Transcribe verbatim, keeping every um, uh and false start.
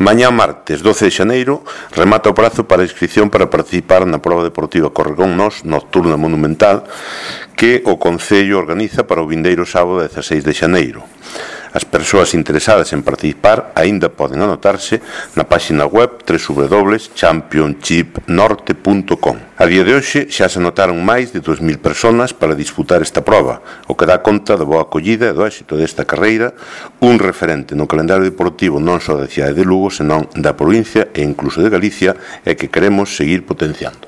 Mañá martes doce de xaneiro remata o prazo para a inscripción para participar na proba deportiva Corregón Nós Nocturna Monumental que o Concello organiza para o vindeiro sábado dezaseis de xaneiro. As persoas interesadas en participar aínda poden anotarse na páxina web w w w punto championship norte punto com. A día de hoxe xa se anotaron máis de dúas mil persoas para disputar esta proba, o que dá conta da boa acollida e do éxito desta carreira, un referente no calendario deportivo non só da cidade de Lugo, senón da provincia e incluso de Galicia, e que queremos seguir potenciando.